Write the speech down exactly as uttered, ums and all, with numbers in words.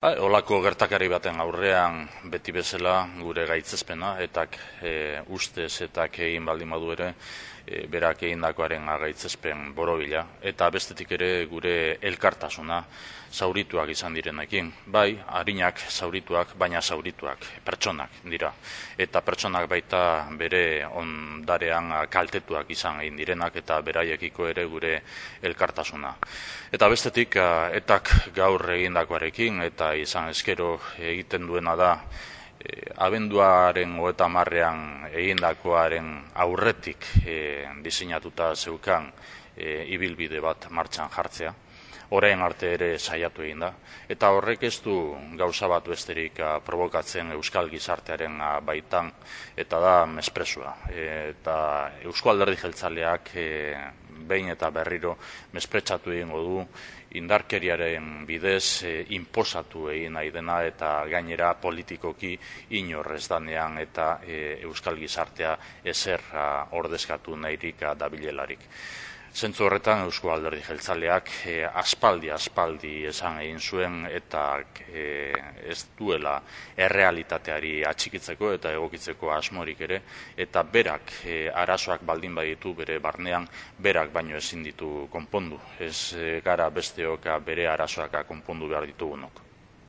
Ba, Olako gertakari baten aurrean beti bezala gure gaitzespena, etak e, ustez etak egin baldin badu ere, e, berak egindakoaren gaitzespen borobila, eta bestetik ere gure elkartasuna zaurituak izan direnekin. Bai, harinak zaurituak, baina zaurituak, pertsonak dira. Eta pertsonak baita bere ondarean kaltetuak izan egin direnak eta beraiekiko ere gure elkartasuna. Eta bestetik, etak gaur egindakoarekin eta izan eskero egiten duena da e, abenduaren hogeita hamarrean egindakoaren aurretik e, diseinatuta zeukan e, ibilbide bat martxan jartzea. Orain arte ere saiatu egin da, eta horrek ez du gauza bat besterik a, provokatzen euskal gizartearen a, baitan, eta da mespresua. E, eta Eusko Alderdi Jeltzaleak e, behin eta berriro mespretsatu egingo du indarkeriaren bidez e, inposatu egin nahi dena eta gainera politikoki inorrez danean eta e, euskal gizartea ezer a, ordezkatu nahirik a, dabilelarik. Zentzu horretan Eusko Alderdi Jeltzaleak e, aspaldi aspaldi esan egin zuen eta e, ez duela errealitateari atxikitzeko eta egokitzeko asmorik ere, eta berak e, arazoak baldin baditu bere barnean, berak baino ezin ditu konpondu. Ez e, gara besteok bere arazoak konpondu behar ditugunok.